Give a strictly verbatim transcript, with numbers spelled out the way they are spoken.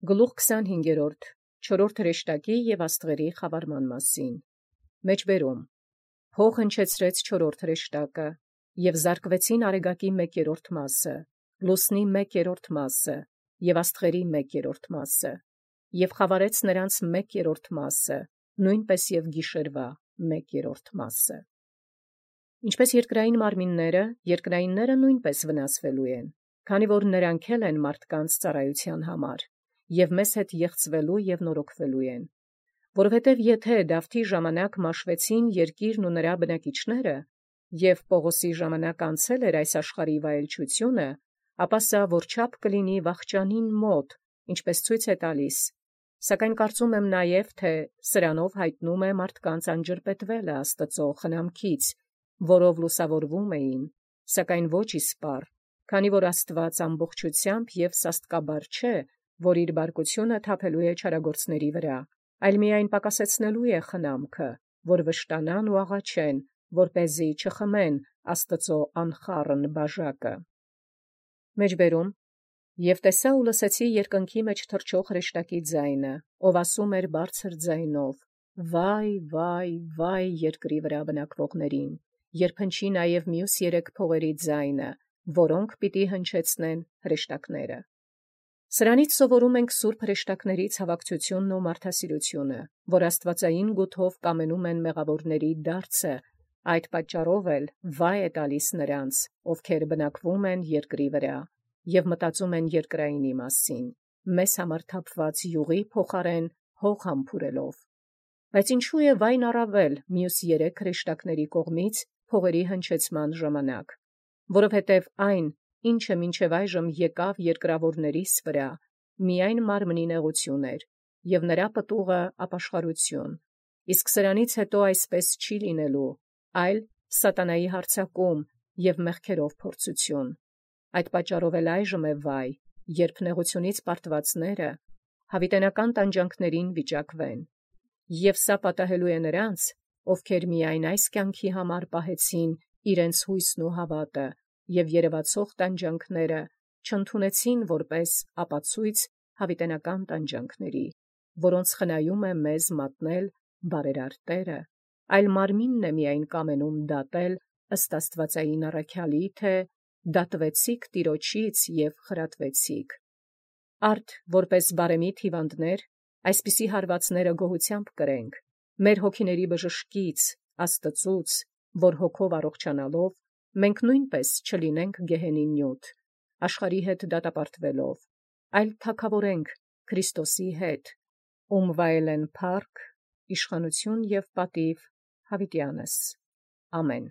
Գլուխ քսանհինգերորդ. չորրորդ հրեշտակի և աստղերի խավարման մասին։ Մեջբերում. Փող հնչեցրեց չորրորդ հրեշտակը, և զարկվեցին արեգակի մեկերորդ մասը, լուսնի մեկերորդ մասը, և աստղերի մեկերորդ մասը, և խավարեց նրանց մեկերորդ մասը, նույնպես և գիշերվա մեկերորդ մասը։ Ինչպես երկրային մարմինները, երկրայինները նույնպես վնասվելու են, քանի որ նրանք էլ են մարդկանց ծառայության համար, և մեզ հետ եղծվելու և նորոգվելու են։ Որովհետև եթե Դավթի ժամանակ մաշվեցին երկիրն ու նրա բնակիչները, և Պողոսի ժամանակ անցել էր այս աշխարհի վայելչությունը, ապա սա որչափ կլինի վախճանին մոտ, ինչպես ցույց է տալիս, սակայն կարծում եմ նաև, թե սրանով հայտնում է մարդկանց անջրպետվելը Աստծո խնամքից, որով լուսավորվում էին, սակայն ոչ իսպառ, քանի որ Աստված ամբողջությամբ և սաստկաբար չէ, որ իր բարկությունը թափելու է չարագործների վրա, այլ միայն պակասեցնելու է խնամքը, որ վշտանան ու աղաչեն, որպեսզի չխմեն Աստծո անխառն բաժակը։ Մեջբերում. Եվ տեսա ու լսեցի երկնքի մեջ թռչող հրեշտակի ձայնը, ով ասում էր բարձր ձայնով. «Վայ, վայ, վայ երկրի վրա բնակվողներին, երբ հնչի նաև մյուս երեք փողերի ձայնը, որոնք պիտի հնչեցնեն հրեշտակները»։ Սրանից սովորում ենք սուրբ հրեշտակների ցավակցությունն ու մարդասիրությունը, որ աստվածային գութով կամենում են մեղավորների դարձը, այդ պատճառով էլ վայ է տալիս նրանց, ովքեր բնակվում են երկրի վրա և մտածում են երկրայինի մասին, մեզ համար թափված յուղի փոխարեն հող համբուրելով։ Բայց ինչու է վայն առավել մյուս երեք հրեշտակների կողմից փողերի հնչեցման ժամանակ, որովհետև այն, ինչը մինչև այժմ եկավ երկրավորներիս վրա, միայն մարմնի նեղություն էր, և նրա պտուղը ապաշխարություն, իսկ սրանից հետո այսպես չի լինելու, այլ սատանայի հարձակում և մեղքերով փորձություն։ Այդ պատճառով էլ այժմ է վայ, երբ նեղությունից պարտվածները հավիտենական տանջանքներին վիճակվեն, և սա պատահելու է նրանց, ովքեր միայն այս կյանքի համար պահեցին իրենց հույսն ու հավատը և երևացող տանջանքները չընդունեցին որպես ապացույց հավիտենական տանջանքների, որոնց խնայում է մեզ մատնել բարերար Տերը, այլ մարմինն է միայն կամենում դատել ըստ աստվածային առաքյալի, թե դատվեցիք Տիրոջից և խրատվեցիք։ Արդ որպես բարեմիտ հիվանդներ այսպիսի հարվածները գոհությամբ կրենք, մեր հոգիների բժշկից, Աստծուց, որ հոգով առողջանալով, մենք նույնպես չլինենք գեհենի նյութ, աշխարհի հետ դատապարտվելով, այլ թագավորենք Քրիստոսի հետ, ում վայել են փառք, իշխանություն և պատիվ հավիտյանս։ Ամեն։